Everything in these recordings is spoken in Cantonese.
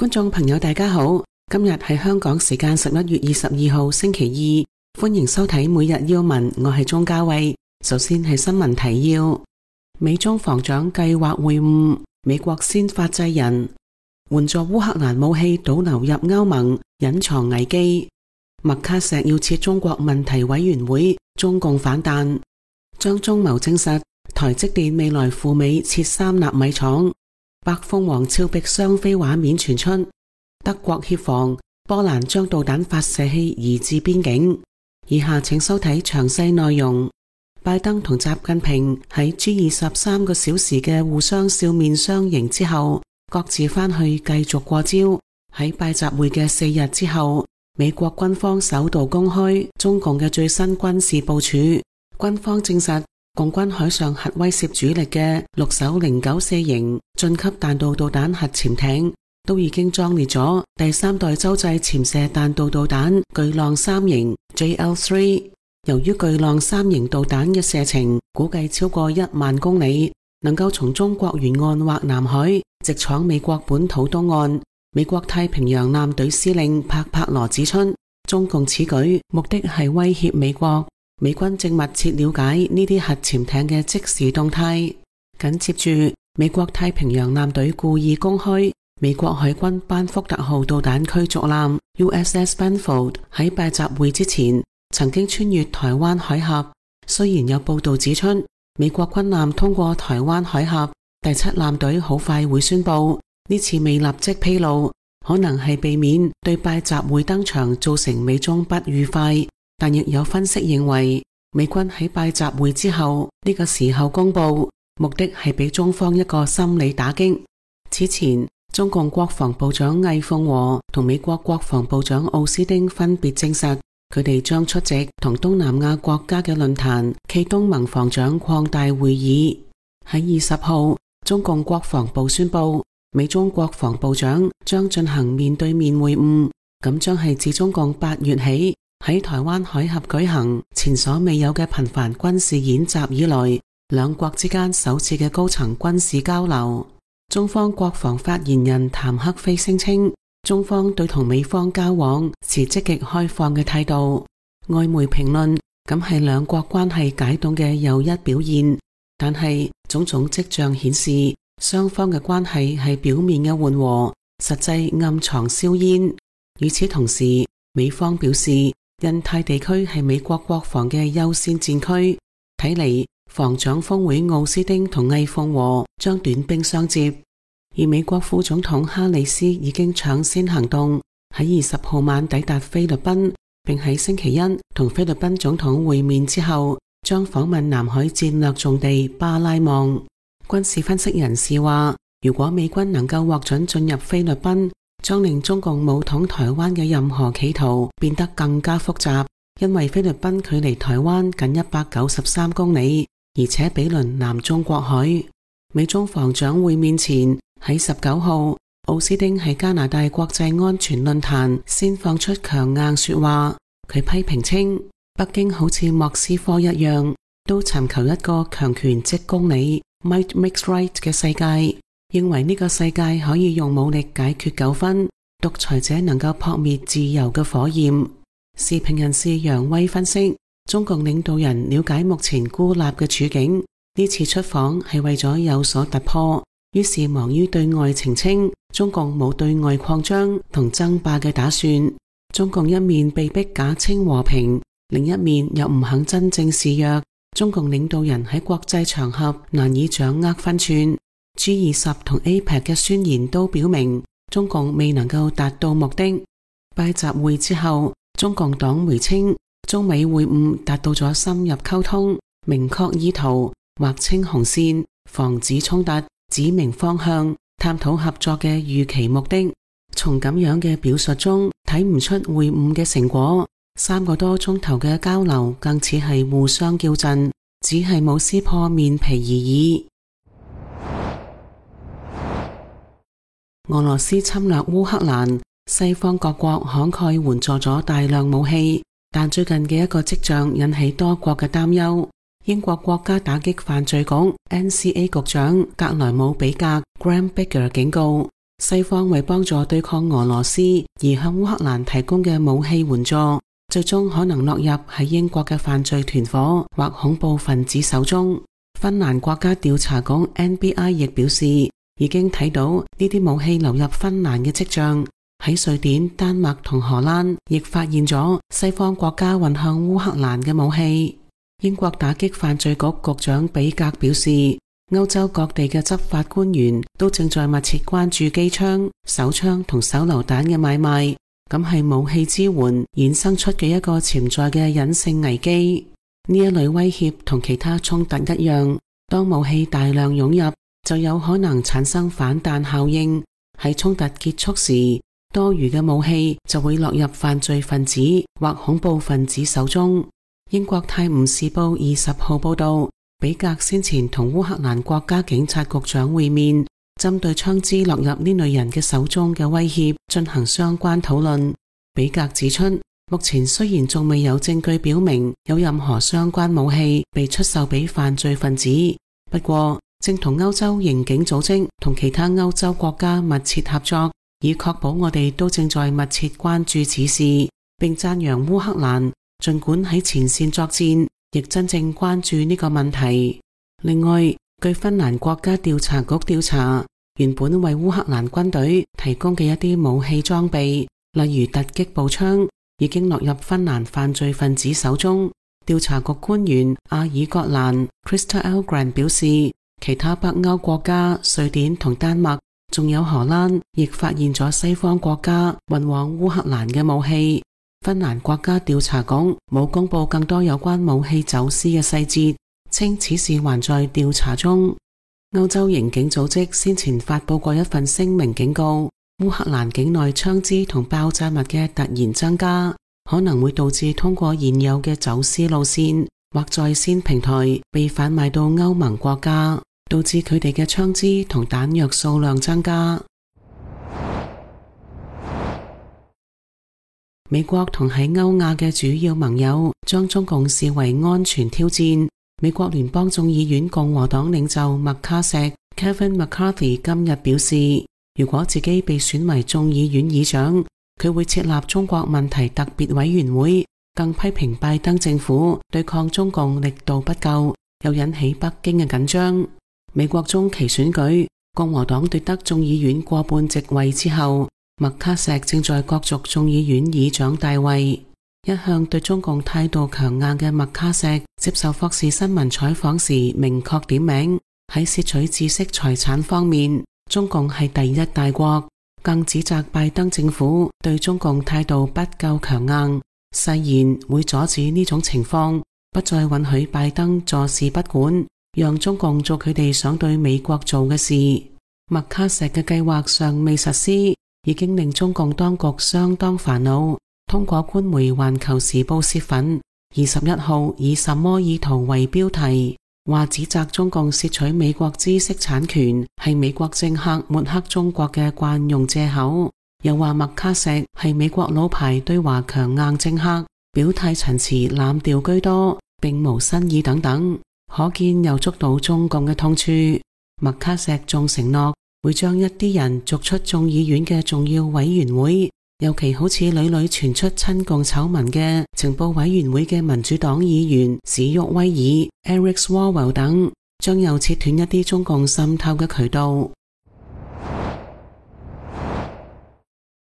觀眾朋友大家好，今日係香港時間11月22號星期二，歡迎收睇每日要聞，我係鍾嘉慧。首先係新聞提要：美中防長計劃會晤，美國先發制人，援助烏克蘭武器倒流入歐盟，隱藏危機。麥卡錫要設中國問題委員會，中共反彈。張忠謀證實台積電未來赴美設3納米廠。白鳳凰峭壁雙飛畫面傳出，德國協防波蘭將導彈發射器移至邊境。以下請收睇詳細內容。拜登同習近平喺 G20 3個小時嘅互相笑面相迎之後，各自返去繼續過招。喺拜習會嘅4日之後，美國軍方首度公開中共嘅最新軍事部署。軍方證實，共軍海上核威懾主力嘅6艘094型晉級彈道導彈核潛艇都已經裝列咗第3代洲際潛射彈道導彈巨浪3型 JL3。由於巨浪3型導彈嘅射程估計超過1萬公里，能夠從中國沿岸或南海直闖美國本土東岸。美國太平洋艦隊司令帕柏羅指出，中共此舉目的係威脅美國。美軍正密切了解呢啲核潛艇嘅即時動態。緊接住，美國太平洋艦隊故意公開美國海軍班福特號導彈驅逐艦 USS Benfold 喺拜習會之前曾經穿越台灣海峽。雖然有報道指出，美國軍艦通過台灣海峽，第7艦隊好快會宣布。呢次未立即披露，可能係避免對拜習會登場造成美中不愉快。但亦有分析認為，美軍喺拜習會之後呢個時候公布，目的係俾中方一個心理打擊。此前，中共國防部長魏鳳和同美國國防部長奧斯汀分別證實，佢哋將出席同東南亞國家嘅論壇暨東盟防長擴大會議。喺20號，中共國防部宣布，美中國防部長將進行面對面會晤，咁將係自中共8月起喺台灣海峽舉行前所未有嘅頻繁軍事演習以來，兩國之間首次嘅高層軍事交流。中方國防發言人譚克非聲稱，中方對同美方交往持積極開放嘅態度。外媒評論，咁係兩國關係解凍嘅又一表現，但係種種跡象顯示，雙方嘅關係係表面嘅緩和，實際暗藏硝煙。與此同時，美方表示，印太地區係美國國防嘅優先戰區，睇嚟防長峰會奧斯汀同魏鳳和將短兵相接。而美國副總統哈里斯已經搶先行動，喺20號晚抵達菲律賓，並喺星期一同菲律賓總統會面之後，將訪問南海戰略重地巴拉望。軍事分析人士話，如果美軍能夠獲准進入菲律賓，將令中共武統台灣嘅任何企圖變得更加複雜，因為菲律賓距離台灣僅193公里，而且毗鄰南中國海。美中防長會面前，喺19號，奧斯汀喺加拿大國際安全論壇先放出強硬說話。佢批評稱，北京好似莫斯科一樣，都尋求一個強權即公理 Might makes right 嘅世界。認為呢個世界可以用武力解決糾紛，獨裁者能夠撲滅自由嘅火焰。時評人士楊威分析，中共領導人了解目前孤立嘅處境，呢次出訪係為咗有所突破，於是忙於對外澄清中共冇對外擴張同爭霸嘅打算。中共一面被迫假稱和平，另一面又唔肯真正示弱，中共領導人喺國際場合難以掌握分寸。G20 同 APEC 嘅宣言都表明，中共未能夠達到目的。拜習會之後，中共黨媒稱，中美會晤達到咗深入溝通、明確意圖、劃清紅線、防止衝突、指明方向、探討合作嘅預期目的。從咁樣嘅表述中，睇唔出會晤嘅成果。3個多鐘頭嘅交流更似係互相叫陣，只係冇撕破面皮而已。俄羅斯侵略烏克蘭，西方各國慷慨援助咗大量武器，但最近嘅一個跡象引起多國嘅擔憂。英國國家打擊犯罪局 NCA 局長格萊姆比格 Graham Baker 警告，西方為幫助對抗俄羅斯而向烏克蘭提供嘅武器援助，最終可能落入喺英國嘅犯罪團夥或恐怖分子手中。芬蘭國家調查局 NBI 亦表示，已經睇到呢啲武器流入芬蘭嘅跡象。喺瑞典、丹麥同荷蘭亦發現咗西方國家運向烏克蘭嘅武器。英國打擊犯罪局局長比格表示，歐洲各地嘅執法官員都正在密切關注機槍、手槍同手榴彈嘅買賣，咁係武器支援衍生出嘅一個潛在嘅隱性危機。呢一類威脅同其他衝突一樣，當武器大量湧入，就有可能產生反彈效應。喺衝突結束時，多餘嘅武器就會落入犯罪分子或恐怖分子手中。英國泰晤士報20號報道，比格先前同烏克蘭國家警察局長會面，針對槍支落入呢類人嘅手中嘅威脅進行相關討論。比格指出，目前雖然仲未有證據表明有任何相關武器被出售俾犯罪分子，不過正同歐洲刑警組織同其他歐洲國家密切合作，以確保我哋都正在密切關注此事，並讚揚烏克蘭盡管喺前線作戰，亦真正關注呢個問題。另外，據芬蘭國家調查局調查，原本為烏克蘭軍隊提供嘅一啲武器裝備，例如突擊步槍，已經落入芬蘭犯罪分子手中。調查局官員阿爾葛蘭 Christer Elgren 表示，其他北歐國家瑞典同丹麥，仲有荷蘭，亦發現咗西方國家運往烏克蘭嘅武器。芬蘭國家調查局冇公布更多有關武器走私嘅細節，稱此事還在調查中。歐洲刑警組織先前發佈過一份聲明，警告烏克蘭境內槍支同爆炸物嘅突然增加，可能會導致通過現有嘅走私路線或在線平台被販賣到歐盟國家，導致佢哋嘅槍支同彈藥數量增加。美國同喺歐亞嘅主要盟友將中共視為安全挑戰。美國聯邦眾議院共和黨領袖麥卡錫 Kevin McCarthy 今日表示，如果自己被選為眾議院議長，佢會設立中國問題特別委員會，更批評拜登政府對抗中共力度不夠，又引起北京嘅緊張。美國中期選舉，共和黨奪得眾議院過半席位之後，麥卡錫正在角逐眾議院議長大位。一向對中共態度強硬嘅麥卡錫接受霍士新聞採訪時明確點名，喺竊取知識財產方面，中共係第一大國，更指責拜登政府對中共態度不夠強硬，誓言會阻止呢種情況，不再允許拜登坐視不管，讓中共做佢哋想對美國做嘅事。麥卡錫嘅計劃尚未實施，已經令中共當局相當煩惱。通過官媒《環球時報》洩憤，21號以什麼意圖為標題，話指責中共竊取美國知識產權係美國政客抹黑中國嘅慣用借口，又話麥卡錫係美國老牌對華強硬政客，表態陳詞濫調居多，並無新意等等，可見又捉到中共嘅痛處。麥卡錫仲承諾會將一啲人逐出眾議院嘅重要委員會，尤其好似屢屢傳出親共醜聞嘅情報委員會嘅民主黨議員史沃威爾 Eric Swalwell 等，將又切斷一啲中共滲透嘅渠道。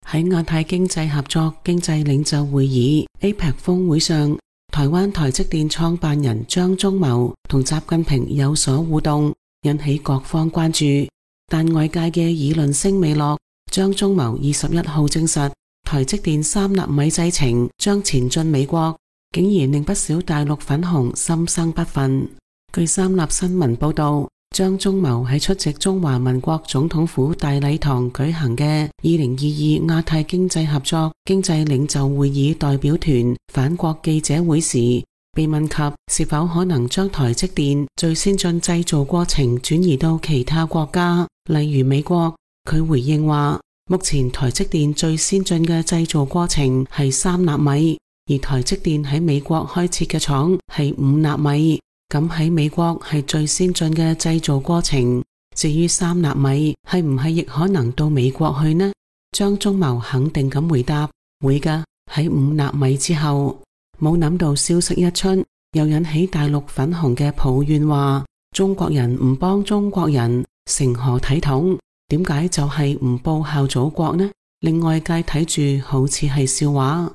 喺亞太經濟合作經濟領袖會議 APEC 峰會上，台灣台積電創辦人張忠謀同習近平有所互動，引起各方關注。但外界嘅議論聲未落，張忠謀21號證實台積電3納米製程將前進美國，竟然令不少大陸粉紅心生不忿。據三立新聞報道，張忠謀喺出席中華民國總統府大禮堂舉行嘅2022亞太經濟合作經濟領袖會議代表團返國記者會時，被問及是否可能將台積電最先進製造過程轉移到其他國家，例如美國，佢回應話，目前台積電最先進嘅製造過程係3納米，而台積電喺美國開設嘅廠係5納米，咁喺美國係最先進嘅製造過程。至於3納米係唔係亦可能到美國去呢？張忠謀肯定咁回答，會㗎，喺5納米之後。冇諗到消息一出，又引起大陸粉紅嘅抱怨，話中國人唔幫中國人，成何體統？點解就係唔報效祖國呢？令外界睇住好似係笑話。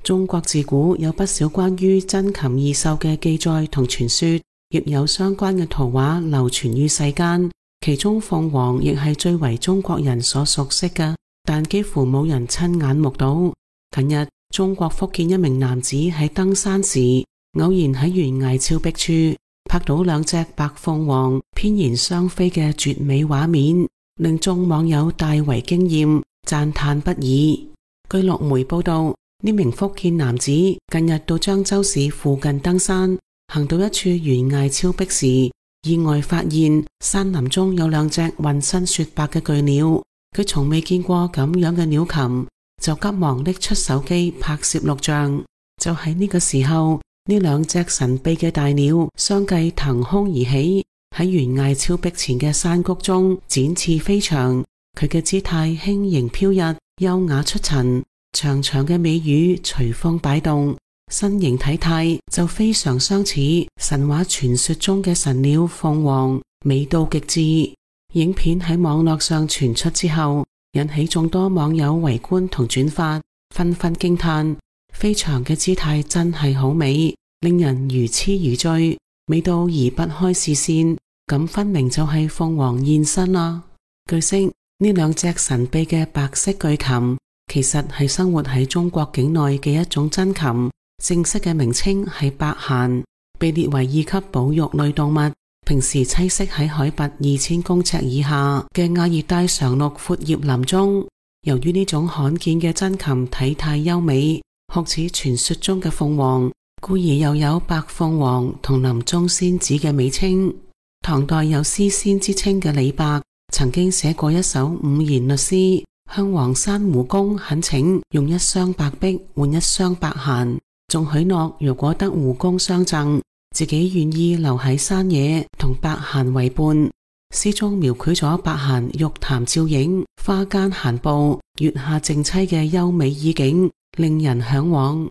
中國自古有不少關於珍禽異獸嘅記載同傳說，亦有相關嘅圖畫流傳於世間。其中鳳凰亦係最為中國人所熟悉嘅，但幾乎冇人親眼目睹。近日，中國福建一名男子喺登山時，偶然喺懸崖峭壁處拍到2隻白鳳凰翩然相飛嘅絕美畫面，令眾網友大為驚艷，讚嘆不已。據陸媒報道，呢名福建男子近日到漳州市附近登山，行到一處懸崖峭壁時，意外發現山林中有2隻渾身雪白嘅巨鳥，佢從未見過咁樣嘅鳥禽，就急忙拎出手機拍攝錄像。就喺呢個時候，呢2隻神秘嘅大鳥相繼騰空而起，喺懸崖峭壁前嘅山谷中展翅飛翔。佢嘅姿態輕盈飄逸，優雅出塵，長長嘅尾羽隨風擺動，身形體態就非常相似神話傳說中嘅神鳥鳳凰，美到極致。影片喺網絡上傳出之後，引起眾多網友圍觀同轉發，紛紛驚嘆飛翔嘅姿態真係好美，令人如痴如醉，美到移不開視線。咁分明就係鳳凰現身啦。據悉，呢2隻神秘嘅白色巨禽其實係生活喺中國境內嘅一種珍禽，正式嘅名稱係白鷳，被列為2級保育類動物，平時棲息喺海拔2000公尺以下嘅亞熱帶常綠闊葉林中。由於呢種罕見嘅珍禽體態優美，好似傳說中嘅鳳凰，故而又有白鳳凰同林中仙子嘅美稱。唐代有詩仙之稱嘅李白曾經寫過一首5言律詩，向黃山胡公懇請用1雙白璧換1雙白鷳，仲許諾如果得胡公相贈，自己願意留喺山野同白鷳為伴。詩中描繪咗白鷳玉潭照影、花間閒步、月下靜棲嘅優美意境，令人向往。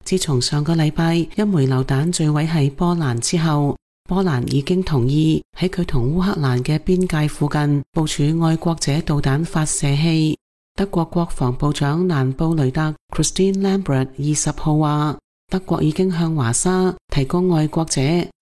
自從上個禮拜一枚榴彈墜毀喺波蘭之後，波蘭已經同意喺佢同烏克蘭嘅邊界附近部署愛國者導彈發射器。德國國防部長蘭布雷特 Christine Lambrecht 20號話，德國已經向華沙提供愛國者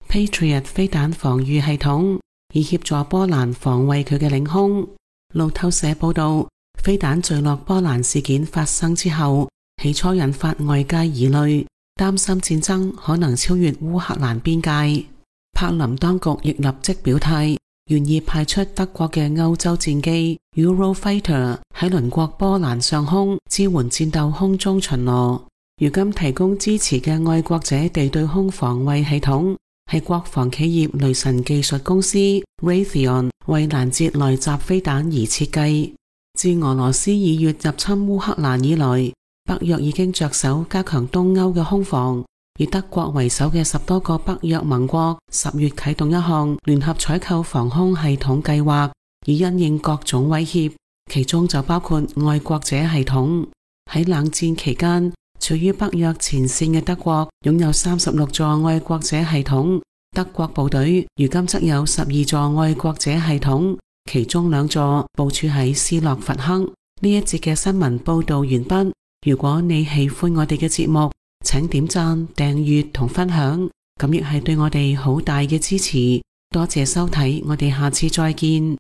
Patriot 飛彈防禦系統，以協助波蘭防衛佢嘅領空。路透社報道，飛彈墜落波蘭事件發生之後，起初引發外界疑慮，擔心戰爭可能超越烏克蘭邊界。柏林當局亦立即表態，願意派出德國嘅歐洲戰機 Eurofighter 喺鄰國波蘭上空支援戰鬥空中巡邏。如今提供支持嘅愛國者地對空防衛系統係國防企業雷神技術公司 Raytheon 為攔截來襲飛彈而設計。自俄羅斯2月入侵烏克蘭以來，北約已經着手加強東歐嘅空防，以德國為首嘅10多個北約盟國10月啟動一項聯合採購防空系統計劃，以因應各種威脅，其中就包括愛國者系統。喺冷戰期間，處於北約前線嘅德國擁有36座愛國者系統，德國部隊如今則有12座愛國者系統，其中2座部署喺斯洛伐克。呢一節嘅新聞報道完畢。如果你喜歡我哋嘅節目，請點讚、訂閱同分享，咁亦係對我哋好大嘅支持。多謝收睇，我哋下次再見。